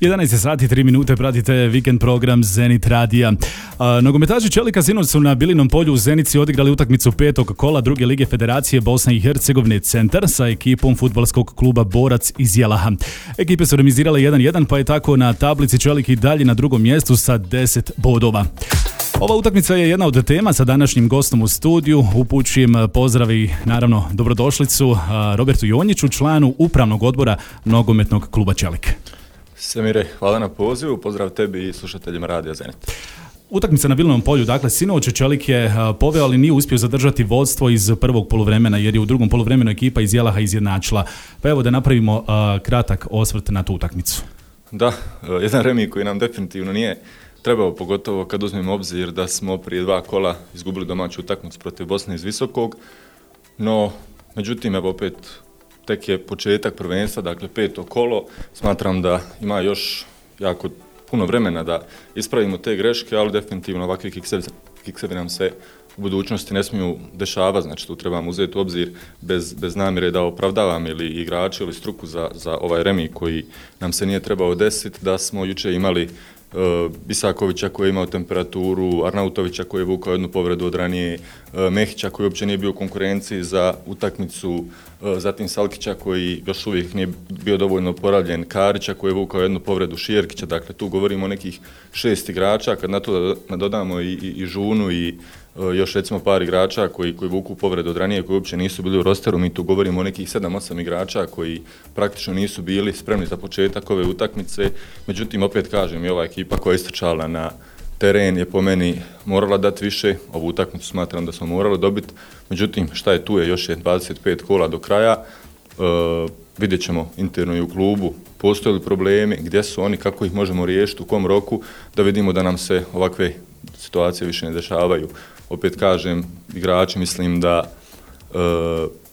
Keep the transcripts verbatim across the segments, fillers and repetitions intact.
jedanaest sati tri minute, pratite vikend program Zenit radija. Nogometaši Čelika sinoć su na Bilinom polju u Zenici odigrali utakmicu petog kola druge lige Federacije Bosne i Hercegovine Centar sa ekipom fudbalskog kluba Borac iz Jelaha. Ekipe su remizirale jedan jedan, pa je tako na tablici Čelik i dalje na drugom mjestu sa deset bodova. Ova utakmica je jedna od tema sa današnjim gostom u studiju. Upućujem pozdrav i naravno dobrodošlicu Robertu Jonjiću, članu upravnog odbora nogometnog kluba Čelik. Semire, hvala na pozivu, pozdrav tebi i slušateljima Radija Zenit. Utakmica na Bilinom polju, dakle sinoć Čelik je poveo, ali nije uspio zadržati vodstvo iz prvog poluvremena, jer je u drugom poluvremenu ekipa iz Jelaha izjednačila. Pa evo da napravimo uh, kratak osvrt na tu utakmicu. Da, jedan remi koji nam definitivno nije trebao, pogotovo kad uzmemo obzir da smo prije dva kola izgubili domaću utakmicu protiv Bosne iz Visokog, no međutim evo opet tek je početak prvenstva, dakle peto kolo, smatram da ima još jako puno vremena da ispravimo te greške, ali definitivno ovakvi kiksevi nam se u budućnosti ne smiju dešavati, znači tu trebamo uzeti u obzir bez, bez namjere da opravdavam ili igrači ili struku za, za ovaj remi koji nam se nije trebao desiti, da smo jučer imali Uh, Bisakovića koji je imao temperaturu, Arnautovića koji je vukao jednu povredu od ranije, uh, Mehića koji uopće nije bio u konkurenciji za utakmicu, uh, zatim Salkića koji još uvijek nije bio dovoljno oporavljen, Karića koji je vukao jednu povredu, Šierkića, dakle tu govorimo o nekih šest igrača, kad na to dodamo i, i, i Žunu i uh, još recimo par igrača koji, koji vuku povredu od ranije, koji uopće nisu bili u rosteru, mi tu govorimo o nekih sedam osam igrača koji praktično nisu bili spremni za početak ove utakmice, međutim opet kažem i ova ekipa koja je istrčala na teren je po meni morala dati više, ovu utakmicu smatram da smo morali dobiti, međutim šta je tu je, još je dvadeset pet kola do kraja, e, vidjet ćemo interno i u klubu, postoje li problemi, gdje su oni, kako ih možemo riješiti, u kom roku, da vidimo da nam se ovakve situacije više ne dešavaju. Opet kažem, igrači mislim da e,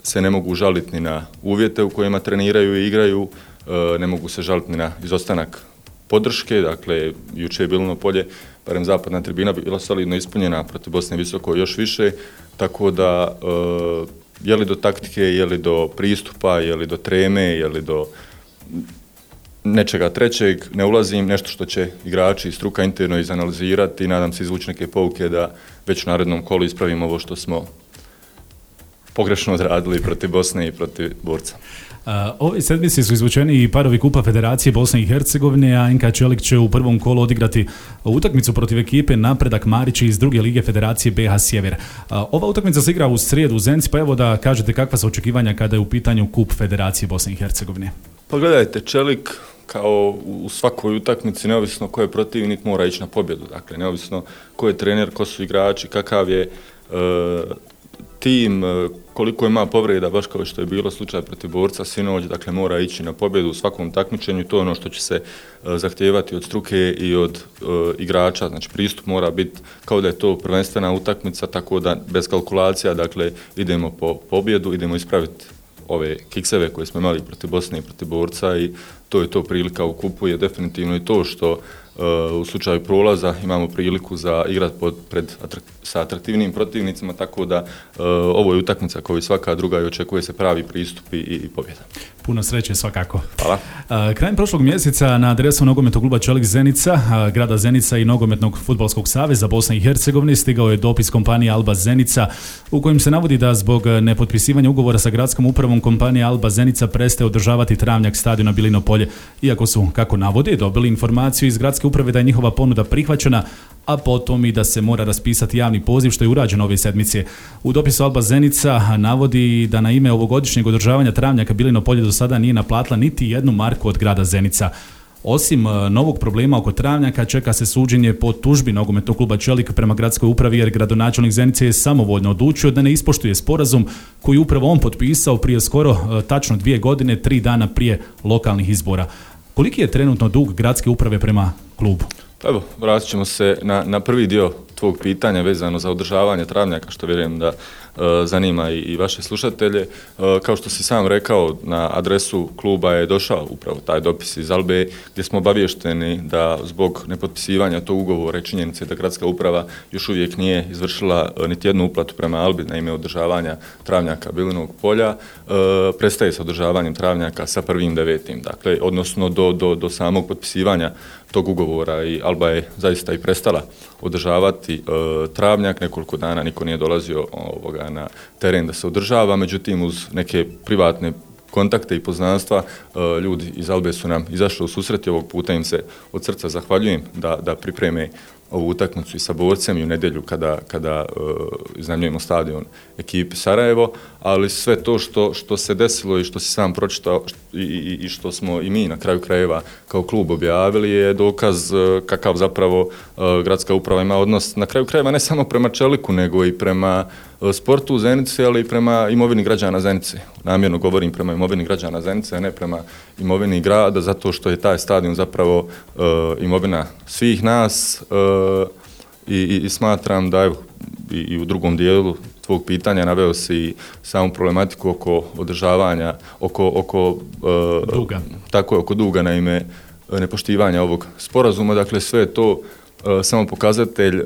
se ne mogu žaliti ni na uvjete u kojima treniraju i igraju, e, ne mogu se žaliti ni na izostanak podrške, dakle, juče je Bilino polje, barem zapadna tribina, bila solidno ispunjena protiv Bosne Visoko još više, tako da e, je li do taktike, je li do pristupa, je li do treme, je li do nečega trećeg, ne ulazim, nešto što će igrači i struka interno izanalizirati i nadam se izvući neke pouke da već u narednom kolu ispravimo ovo što smo pogrešno odradili protiv Bosne i protiv Borca. Uh, ove sedmice su izvučeni i parovi Kupa Federacije Bosne i Hercegovine, a N K Čelik će u prvom kolu odigrati utakmicu protiv ekipe Napredak Marići iz druge lige Federacije B H Sjever. Uh, ova utakmica se igra u srijedu u Zenici, pa evo da kažete kakva su očekivanja kada je u pitanju Kup Federacije Bosne i Hercegovine. Pa gledajte, Čelik kao u svakoj utakmici, neovisno ko je protivnik, mora ići na pobjedu. Dakle, neovisno ko je trener, ko su igrači, kakav je uh, tim, koliko ima povreda, baš kao što je bilo slučaj protiv Borca sinoć, dakle mora ići na pobjedu u svakom takmičenju, to je ono što će se uh, zahtijevati od struke i od uh, igrača, znači pristup mora biti kao da je to prvenstvena utakmica, tako da bez kalkulacija, dakle idemo po pobjedu, idemo ispraviti ove kikseve koje smo imali protiv Bosne i protiv Borca i to je to prilika u kupu, je definitivno i to što uh, u slučaju prolaza imamo priliku za igrat pod, pred, atrak, sa atraktivnim protivnicima, tako da uh, ovo je utakmica kao i svaka druga i očekuje se pravi pristup i, i pobjeda. Puno sreće svakako. Hvala. Uh, krajem prošlog mjeseca na adresu nogometnog kluba Čelik Zenica, uh, grada Zenica i nogometnog fudbalskog saveza Bosne i Hercegovine stigao je dopis kompanije Alba Zenica u kojem se navodi da zbog nepotpisivanja ugovora sa gradskom upravom kompanija Alba Zenica prestaje održavati travnjak stadiona Bilino polje, iako su, kako navodi, dobili informaciju iz gradske uprave da je njihova ponuda prihvaćena, a potom i da se mora raspisati javni poziv, što je urađeno ove sedmice. U dopisu Alba Zenica navodi da na ime ovogodišnjeg održavanja travnjaka Bilino polje do sada nije naplatila niti jednu marku od grada Zenica. Osim novog problema oko travnjaka, čeka se suđenje po tužbi nogometnog kluba Čelik prema gradskoj upravi, jer gradonačelnik Zenice je samovoljno odlučio da ne ispoštuje sporazum koji upravo on potpisao prije skoro tačno dvije godine, tri dana prije lokalnih izbora. Koliki je trenutno dug gradske uprave prema klubu? Pa evo, vratit ćemo se na, na prvi dio tvog pitanja vezano za održavanje travnjaka, što vjerujem da uh, zanima i, i vaše slušatelje. Uh, kao što si sam rekao, na adresu kluba je došao upravo taj dopis iz Albe gdje smo obavješteni da zbog nepotpisivanja tog ugovora i činjenice da gradska uprava još uvijek nije izvršila uh, niti jednu uplatu prema Albi na ime održavanja travnjaka Bilinog polja, uh, prestaje sa održavanjem travnjaka sa prvim devetim. Dakle, odnosno do, do, do samog potpisivanja tog ugovora i Alba je zaista i prestala održavati e, travnjak. Nekoliko dana niko nije dolazio ovoga, na teren da se održava, međutim uz neke privatne kontakte i poznanstva e, ljudi iz Albe su nam izašli u susret i ovog puta im se od srca zahvaljujem da, da pripreme ovu utakmicu i sa Borcem i u nedjelju kada, kada uh, iznajmljujemo stadion ekipi Sarajevo, ali sve to što, što se desilo i što si sam pročitao i, i, i što smo i mi na kraju krajeva kao klub objavili je dokaz uh, kakav zapravo uh, gradska uprava ima odnos na kraju krajeva ne samo prema Čeliku nego i prema uh, sportu u Zenici, ali i prema imovini građana Zenice. Namjerno govorim prema imovini građana Zenice, a ne prema imovini grada, zato što je taj stadion zapravo uh, imovina svih nas. Uh, I, i, i smatram da evo, i, i u drugom dijelu tvog pitanja naveo si samu problematiku oko održavanja, oko, oko uh, duga. Tako je, oko duga na ime nepoštivanja ovog sporazuma. Dakle, sve je to uh, samo pokazatelj uh,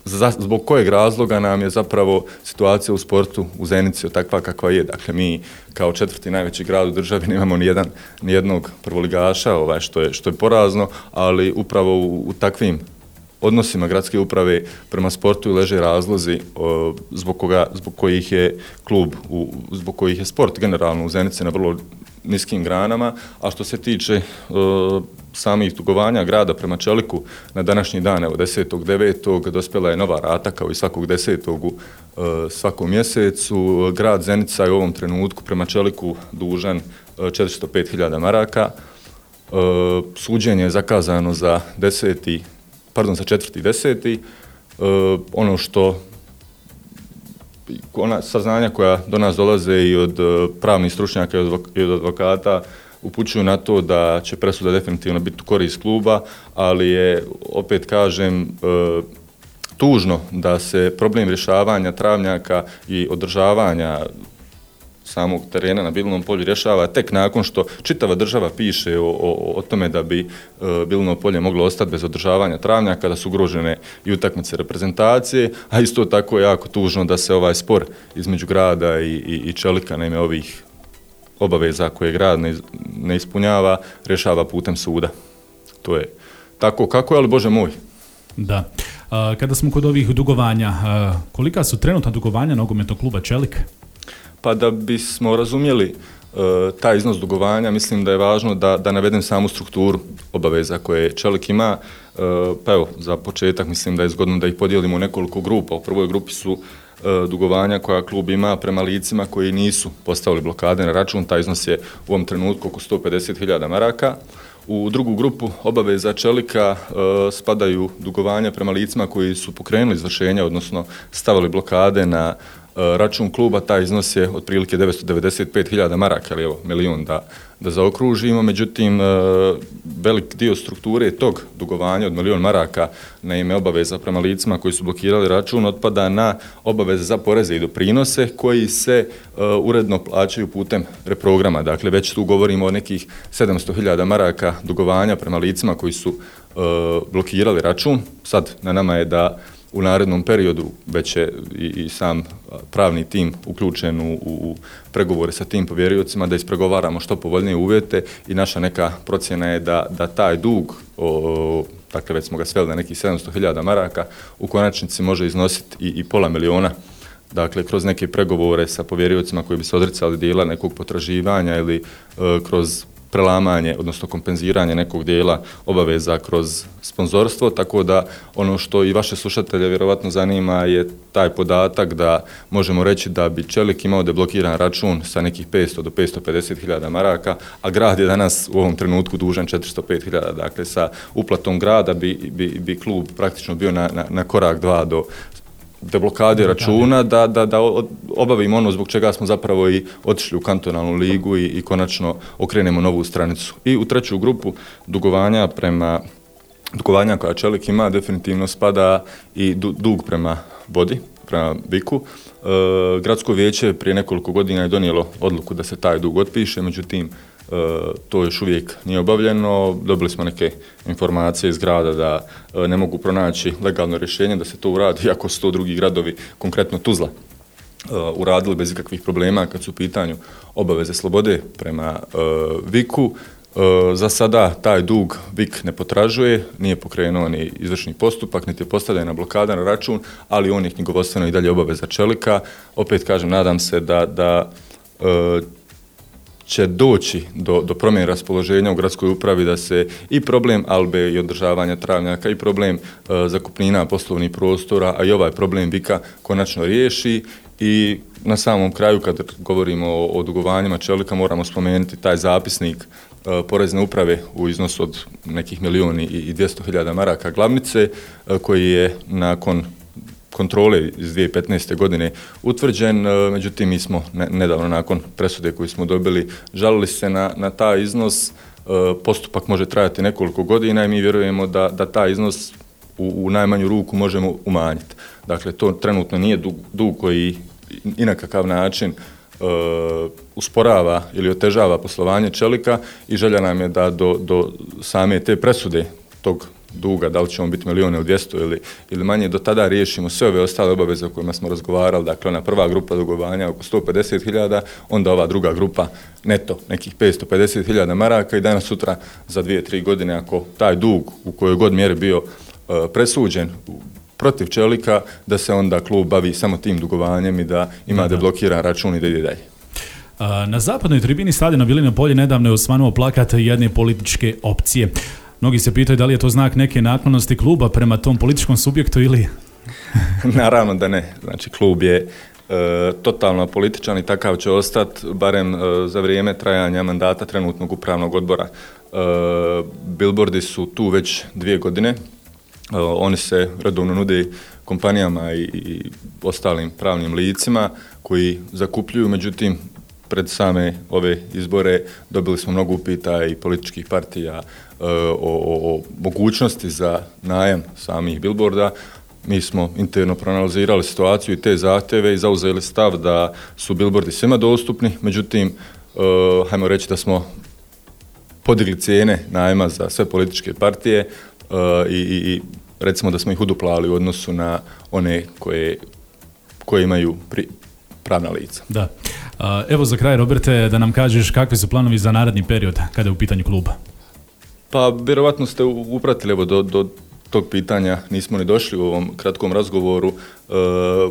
za, zbog kojeg razloga nam je zapravo situacija u sportu u Zenici takva kakva je. Dakle, mi kao četvrti najveći grad u državi nemamo ni jedan, ni jednog prvoligaša, ovaj, što je, što je porazno, ali upravo u, u takvim odnosima gradske uprave prema sportu leže razlozi o, zbog, koga, zbog kojih je klub, u, zbog kojih je sport generalno u Zenici na vrlo niskim granama, a što se tiče o, samih dugovanja grada prema Čeliku, na današnji dan, evo desetog devetog dospjela je nova rata kao i svakog desetog u o, svakom mjesecu. Grad Zenica je u ovom trenutku prema Čeliku dužan o, četiristo pet hiljada maraka. O, suđenje je zakazano za deseti pardon, za četvrti deseti. Uh, ono što, ona saznanja koja do nas dolaze i od uh, pravnih stručnjaka i od advokata upućuju na to da će presuda definitivno biti u korist kluba, ali je, opet kažem, uh, tužno da se problem rješavanja travnjaka i održavanja samog terena na Bilinom polju rješava tek nakon što čitava država piše o, o, o tome da bi e, Bilino polje moglo ostati bez održavanja travnjaka, da su ugrožene i utakmice reprezentacije, a isto tako je jako tužno da se ovaj spor između grada i, i, i Čelika na ime ovih obaveza koje grad ne, ne ispunjava, rješava putem suda. To je tako kako je, ali Bože moj. Da. A, kada smo kod ovih dugovanja, a, kolika su trenutna dugovanja nogometnog kluba Čelik? Pa da bismo razumjeli uh, taj iznos dugovanja, mislim da je važno da, da navedem samu strukturu obaveza koje Čelik ima. Uh, pa evo, za početak mislim da je zgodno da ih podijelimo u nekoliko grupa. U prvoj grupi su uh, dugovanja koja klub ima prema licima koji nisu postavili blokade na račun. Taj iznos je u ovom trenutku oko sto pedeset hiljada maraka. U drugu grupu obaveza Čelika uh, spadaju dugovanja prema licima koji su pokrenuli izvršenja, odnosno stavili blokade na račun kluba. Taj iznos je otprilike devetsto devedeset pet hiljada maraka, ali evo, milion da, da zaokružimo. Međutim, velik dio strukture tog dugovanja od milion maraka na ime obaveza prema licima koji su blokirali račun otpada na obaveze za poreze i doprinose koji se uh, uredno plaćaju putem reprograma. Dakle, već tu govorimo o nekih sedamsto hiljada maraka dugovanja prema licima koji su uh, blokirali račun. Sad na nama je da u narednom periodu već je i, i sam pravni tim uključen u, u pregovore sa tim povjeriocima da ispregovaramo što povoljnije uvjete i naša neka procjena je da, da taj dug, o, dakle već smo ga sveli na nekih sedamsto hiljada maraka, u konačnici može iznositi i, i pola miliona. Dakle, kroz neke pregovore sa povjeriocima koji bi se odricali dijela nekog potraživanja ili e, kroz prelamanje, odnosno kompenziranje nekog dijela obaveza kroz sponzorstvo, tako da ono što i vaše slušatelje vjerovatno zanima je taj podatak da možemo reći da bi Čelik imao deblokiran račun sa nekih petsto do petsto pedeset hiljada maraka, a grad je danas u ovom trenutku dužan četiristo pet hiljada. Dakle, sa uplatom grada bi, bi, bi klub praktično bio na, na, na korak dva do deblokade računa, da, da, da obavimo ono zbog čega smo zapravo i otišli u kantonalnu ligu i, i konačno okrenemo novu stranicu. I u treću grupu dugovanja prema dugovanja koja Čelik ima, definitivno spada i dug prema vodi, prema Viku. E, Gradsko vijeće prije nekoliko godina je donijelo odluku da se taj dug otpiše, međutim, e, to još uvijek nije obavljeno. Dobili smo neke informacije iz grada da e, ne mogu pronaći legalno rješenje da se to uradi, iako su to drugi gradovi, konkretno Tuzla, e, uradili bez ikakvih problema kad su u pitanju obaveze slobode prema e, Viku. Za sada taj dug Vik ne potražuje, nije pokrenuo ni izvršni postupak, niti je postavljena blokada na račun, ali on je knjigovodstveno i dalje obaveza Čelika. Opet kažem, nadam se da, da e, će doći do, do promjene raspoloženja u gradskoj upravi, da se i problem albe i održavanja travnjaka i problem e, zakupnina poslovnih prostora, a i ovaj problem Vika konačno riješi. I na samom kraju, kad govorimo o, o dugovanjima Čelika, moramo spomenuti taj zapisnik e, Porezne uprave u iznosu od nekih milijuni i dvjesto hiljada maraka glavnice, e, koji je nakon kontrole iz dvije tisuće petnaeste. godine utvrđen, e, međutim mi smo ne, nedavno nakon presude koju smo dobili žalili se na, na taj iznos. E, postupak može trajati nekoliko godina i mi vjerujemo da, da taj iznos u, u najmanju ruku možemo umanjiti. Dakle, to trenutno nije dug, dug koji i na kakav način e, usporava ili otežava poslovanje Čelika i želja nam je da do, do same te presude tog duga, da li će on biti milijune u dvjesto ili, ili manje, do tada riješimo sve ove ostale obaveze o kojima smo razgovarali. Dakle, ona prva grupa dugovanja oko sto pedeset hiljada, onda ova druga grupa neto nekih petsto pedeset hiljada maraka i danas sutra za dvije, tri godine, ako taj dug u kojoj god mjeri bio e, presuđen protiv Čelika, da se onda klub bavi samo tim dugovanjem i da ima da, da. deblokiran račun i da ide dalje. Na zapadnoj tribini stadiona Bilino polje nedavno je osvanuo plakat jedne političke opcije. Mnogi se pitaju da li je to znak neke naklonosti kluba prema tom političkom subjektu ili... Naravno da ne. Znači, klub je e, totalno političan i takav će ostati, barem e, za vrijeme trajanja mandata trenutnog upravnog odbora. E, Billboardi su tu već dvije godine. Uh, oni se redovno nude kompanijama i, i ostalim pravnim licima koji zakupljuju, međutim, pred same ove izbore dobili smo mnogo upita i političkih partija uh, o, o, o mogućnosti za najam samih billboarda. Mi smo interno proanalizirali situaciju i te zahtjeve i zauzeli stav da su billboardi svima dostupni, međutim, uh, hajmo reći da smo podigli cijene najma za sve političke partije, Uh, i, i recimo da smo ih uduplali u odnosu na one koje, koje imaju pri, pravna lica. Da. Uh, evo za kraj, Roberte, da nam kažeš kakvi su planovi za naredni period kada je u pitanju kluba? Pa, vjerovatno ste upratili, evo, do, do tog pitanja nismo ni došli u ovom kratkom razgovoru. Uh,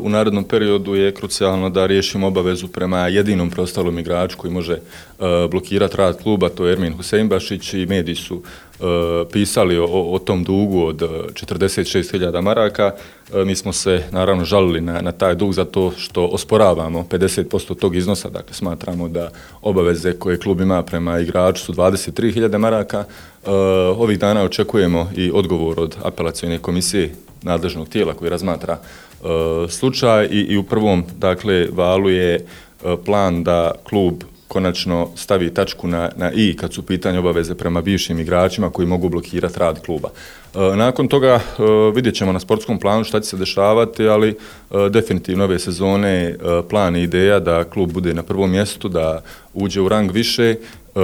u narednom periodu je krucijalno da riješimo obavezu prema jedinom preostalom igraču koji može uh, blokirati rad kluba, to je Ermin Huseinbašić, i mediji su uh, pisali o, o tom dugu od četrdeset šest hiljada maraka. Uh, mi smo se naravno žalili na, na taj dug zato što osporavamo pedeset posto tog iznosa, dakle smatramo da obaveze koje klub ima prema igraču su dvadeset tri hiljade maraka. Uh, ovih dana očekujemo i odgovor od apelacione komisije nadležnog tijela koji razmatra uh, slučaj i, i u prvom, dakle, valu je uh, plan da klub konačno stavi tačku na, na i kad su pitanje obaveze prema bivšim igračima koji mogu blokirati rad kluba. Uh, nakon toga uh, vidjet ćemo na sportskom planu šta će se dešavati, ali uh, definitivno ove sezone uh, plan i ideja da klub bude na prvom mjestu, da uđe u rang više. Uh,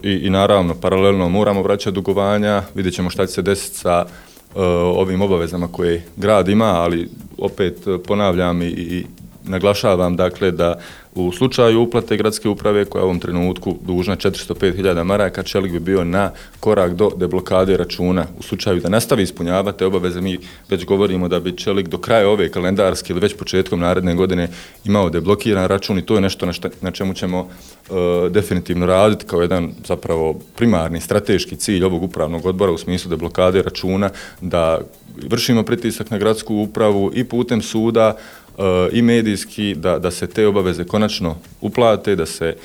i, i naravno paralelno moramo vraćati dugovanja, vidjet ćemo šta će se desiti sa uh, ovim obavezama koje grad ima, ali opet uh, ponavljam i, i naglašavam, dakle, da u slučaju uplate gradske uprave koja je u ovom trenutku dužna četiristo pet hiljada maraka, Čelik bi bio na korak do deblokade računa. U slučaju da nastavi ispunjavati te obaveze, mi već govorimo da bi Čelik do kraja ove kalendarske ili već početkom naredne godine imao deblokiran račun i to je nešto na, šta, na čemu ćemo uh, definitivno raditi kao jedan zapravo primarni strateški cilj ovog upravnog odbora u smislu deblokade računa, da vršimo pritisak na gradsku upravu i putem suda Uh, i medijski, da, da se te obaveze konačno uplate, da se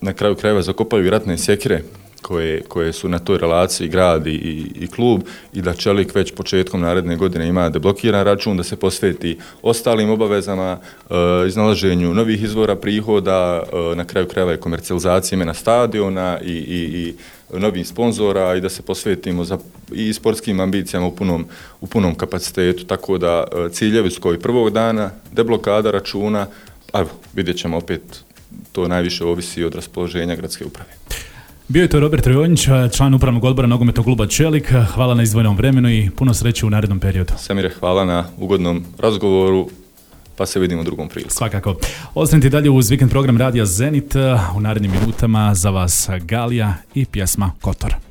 na kraju krajeva zakopaju i ratne sjekire koje, koje su na toj relaciji grad i, i klub i da Čelik već početkom naredne godine ima deblokiran račun, da se posveti ostalim obavezama, e, iznalaženju novih izvora prihoda, e, na kraju krajeva i komercijalizacije imena stadiona i, i, i novih sponzora i da se posvetimo za, i sportskim ambicijama u punom, u punom kapacitetu. Tako da e, ciljevi su kao i prvog dana, deblokada računa, a vidjet ćemo opet, to najviše ovisi od raspoloženja gradske uprave. Bio je to Robert Rojonić, član upravnog odbora nogometnog kluba Čelik. Hvala na izdvojenom vremenu i puno sreće u narednom periodu. Samire, hvala na ugodnom razgovoru, pa se vidimo u drugom priliku. Svakako. Ostanite dalje uz vikend program Radija Zenit. U narednim minutama za vas Galija i pjesma Kotor.